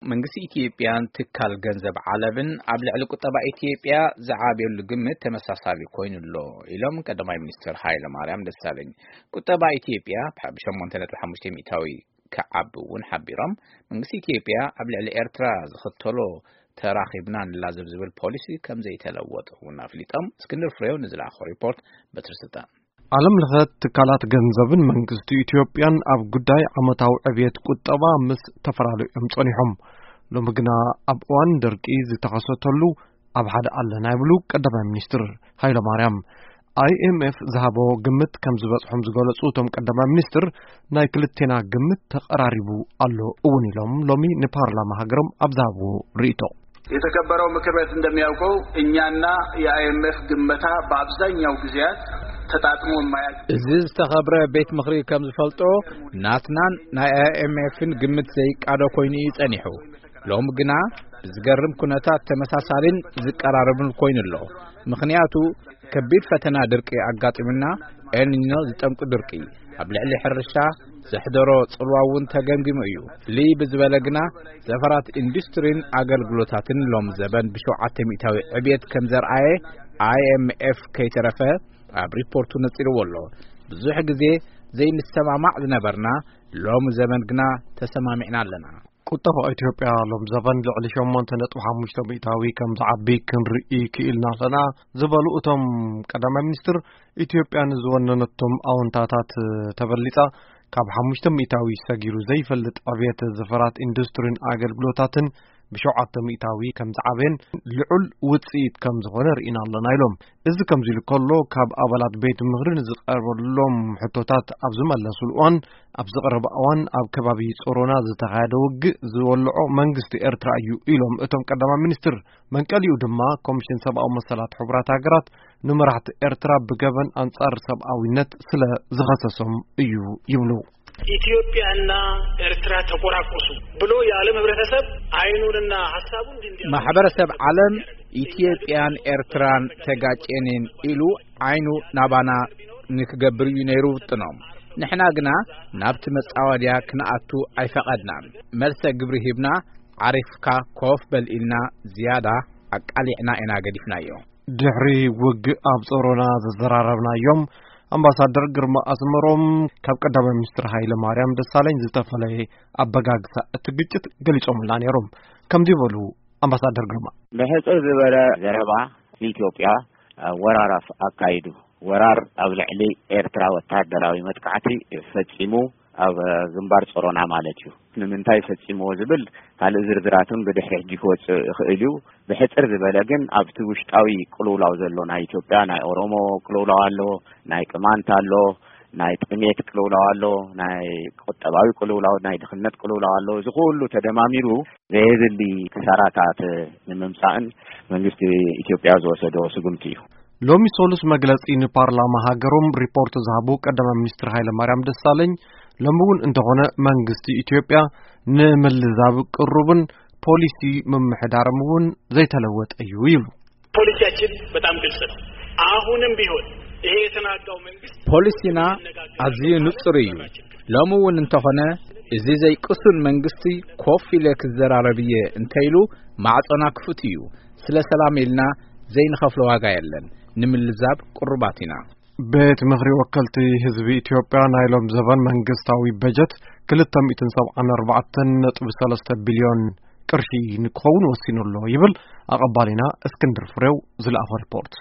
መንግስቲ ኢትዮጵያን ትካል ገንዘብ ዓለምን ኣብ ልዕሊ ቁጠባ ኢትዮጵያ ዝዓብየሉ ግምት ተመሳሳሊ ኮይኑ ኣሎ ኢሎም ቀዳማይ ሚኒስትር ሃይለ ማርያም ደሳለኝ። ቁጠባ ኢትዮጵያ ብ ሸሞንተ ነጥቢ ሓሙሽተ ሚእታዊ ክዓቢ እውን ሓቢሮም፣ መንግስቲ ኢትዮጵያ ኣብ ልዕሊ ኤርትራ ዝኽተሎ ተራኺብና ንላዘብ ዝብል ፖሊሲ ከም ዘይተለወጠ እውን ኣፍሊጦም። እስክንድር ፍሬው ንዝለኣኾ ሪፖርት በትሪ ስልጣን። ዓለም ለኸ ትካላት ገንዘብን መንግስቲ ኢትዮጵያን ኣብ ጉዳይ ዓመታዊ ዕብየት ቁጠባ ምስ ተፈላለዩ እዮም ጸኒሖም። ሎሚ ግና ኣብ እዋን ደርቂ ዝተኸሰተሉ ኣብ ሓደ ኣለና ይብሉ ቀዳማይ ሚኒስትር ሃይለ ማርያም። ኣይኤምኤፍ ዝሃቦ ግምት ከም ዝበጽሖም ዝገለጹ እቶም ቀዳማይ ሚኒስትር፣ ናይ ክልቴና ግምት ተቐራሪቡ ኣሎ እውን ኢሎም ሎሚ ንፓርላማ ሃገሮም ኣብ ዝሃብዎ ርእይቶ። የተከበረው ምክር ቤት እንደሚያውቀው እኛና የአይኤምኤፍ ግመታ በአብዛኛው ጊዜያት ተጣጥሞ የማያውቅ። እዚ ዝተኸብረ ቤት ምኽሪ ከም ዝፈልጦ፣ ናትናን ናይ ኣይኤምኤፍን ግምት ዘይቃዶ ኮይኑ እዩ ጸኒሑ። ሎሚ ግና ብዝገርም ኩነታት ተመሳሳሊን ዝቀራረብን ኮይኑ ኣሎ። ምኽንያቱ ከቢድ ፈተና ድርቂ ኣጋጢሙና፣ ኤልኒኖ ዝጠምቂ ድርቂ ኣብ ልዕሊ ሕርሻ ዘሕደሮ ጽልዋ እውን ተገምጊሙ እዩ። ፍልይ ብዝበለ ግና ዘፈራት ኢንዱስትሪን ኣገልግሎታትን ሎም ዘበን ብሸውዓተ ሚእታዊ ዕብየት ከም ዘርኣየ ኣይኤምኤፍ ከይተረፈ ኣብ ሪፖርቱ ነጺርዎ ኣሎ። ብዙሕ ግዜ ዘይንሰማማዕ ዝነበርና ሎም ዘበን ግና ተሰማሚዕና ኣለና። ቁጠባ ኢትዮጵያ ሎም ዘበን ልዕሊ ሸሞንተ ነጥቢ ሓሙሽተ ሚእታዊ ከም ዝዓቢ ክንርኢ ክኢልና ኣለና ዝበሉ እቶም ቀዳማይ ሚኒስትር፣ ኢትዮጵያ ንዝወነነቶም ኣወንታታት ተበሊጻ ካብ ሓሙሽተ ሚእታዊ ሰጊሩ ዘይፈልጥ ዕብየት ዘፈራት ኢንዱስትሪን ኣገልግሎታትን ብሸውዓተ ሚእታዊ ከም ዝዓበየን ልዑል ውጽኢት ከም ዝኾነ ርኢና ኣለና ኢሎም። እዚ ከምዚ ኢሉ ከሎ፣ ካብ ኣባላት ቤት ምኽሪ ንዝቐርበሎም ሕቶታት ኣብ ዝመለሱሉ እዋን፣ ኣብ ዝቐረበ እዋን ኣብ ከባቢ ጾሮና ዝተኻየደ ውግእ ዝወልዖ መንግስቲ ኤርትራ እዩ ኢሎም እቶም ቀዳማይ ሚኒስትር። መንቀሊኡ ድማ ኮሚሽን ሰብኣዊ መሰላት ሕቡራት ሃገራት ንመራሕቲ ኤርትራ ብገበን ኣንጻር ሰብኣዊነት ስለ ዝኸሰሶም እዩ ይብሉ። ኢትዮጵያና ኤርትራ ተቆራቆሱ ብሎ የዓለም ህብረተሰብ አይኑንና ሀሳቡን እንዲ- ማሕበረሰብ ዓለም ኢትዮጵያን ኤርትራን ተጋጨንን ኢሉ ዓይኑ ናባና ንክገብር እዩ ነይሩ ውጥኖም። ንሕና ግና ናብቲ መጻወድያ ክንኣቱ ኣይፈቐድናን። መልሰ ግብሪ ሂብና፣ ዓሪፍካ ኮፍ በል ኢልና ዝያዳ ኣቃሊዕና ኢና ገዲፍናዮ። ድሕሪ ውግእ ኣብ ጾሮና ዘዘራረብናዮም ኣምባሳደር ግርማ ኣስመሮም ካብ ቀዳማይ ሚኒስትር ሃይለ ማርያም ደሳለኝ ዝተፈለየ ኣበጋግሳ እቲ ግጭት ገሊጾምልና ነይሮም። ከምዚ በሉ ኣምባሳደር ግርማ። ብሕጽር ዝበለ ዘረባ፣ ኢትዮጵያ ወራር ኣፍ-፣ ኣካይዱ። ወራር ኣብ ልዕሊ ኤርትራ ወታደራዊ መጥቃዕቲ ፈጺሙ፣ ኣብ ግንባር ጾሮና ማለት እዩ። ንምንታይ ፈጺምዎ ዝብል ካልእ ዝርዝራትን ብድሕሪ ሕጂ ክወጽእ ይኽእል እዩ። ብሕጽር ዝበለ ግን ኣብቲ ውሽጣዊ ቅልውላው ዘሎ ናይ ኢትዮጵያ፣ ናይ ኦሮሞ ቅልውላው ኣሎ፣ ናይ ቅማንት ኣሎ፣ ናይ ጥሜት ቅልውላው ኣሎ፣ ናይ ቁጠባዊ ቅልውላው፣ ናይ ድኽነት ቅልውላው ኣሎ። እዚ ኩሉ ተደማሚሩ ዘየድሊ ክሳራታት ንምምጻእን መንግስቲ ኢትዮጵያ ዝወሰዶ ስጉምቲ እዩ። ሎሚ ሰሉስ መግለጺ ንፓርላማ ሃገሮም ሪፖርት ዝሃቡ ቀዳማይ ሚኒስትር ሃይለ ማርያም ደሳለኝ፣ ሎሚ እውን እንተኾነ መንግስቲ ኢትዮጵያ ንምልዛብ ቅሩብን ፖሊሲ ምምሕዳርም እውን ዘይተለወጠ እዩ ይብሉ። ፖሊሲያችን በጣም ግልጽ ነው። አሁንም ቢሆን ይሄ የተናጋው መንግስት ፖሊሲና ኣዝዩ ንጹር እዩ። ሎሚ እውን እንተኾነ እዚ ዘይቅሱን መንግስቲ ኮፍ ኢለ ክዘራረብ እየ እንተኢሉ ማዕጾና ክፉት እዩ። ስለ ሰላም ኢልና ዘይንኸፍሎ ዋጋ የለን። ንምልዛብ ቅሩባት ኢና። ቤት ምኽሪ ወከልቲ ህዝቢ ኢትዮጵያ ናይ ሎም ዘበን መንግስታዊ በጀት ክልተ ሚእትን ሰብዓን ኣርባዕተን ነጥቢ ሰለስተ ቢልዮን ቅርሺ ንክኸውን ወሲኑ ኣሎ ይብል ኣቐባሊና እስክንድር ፍሬው ዝለኣኾ ሪፖርት።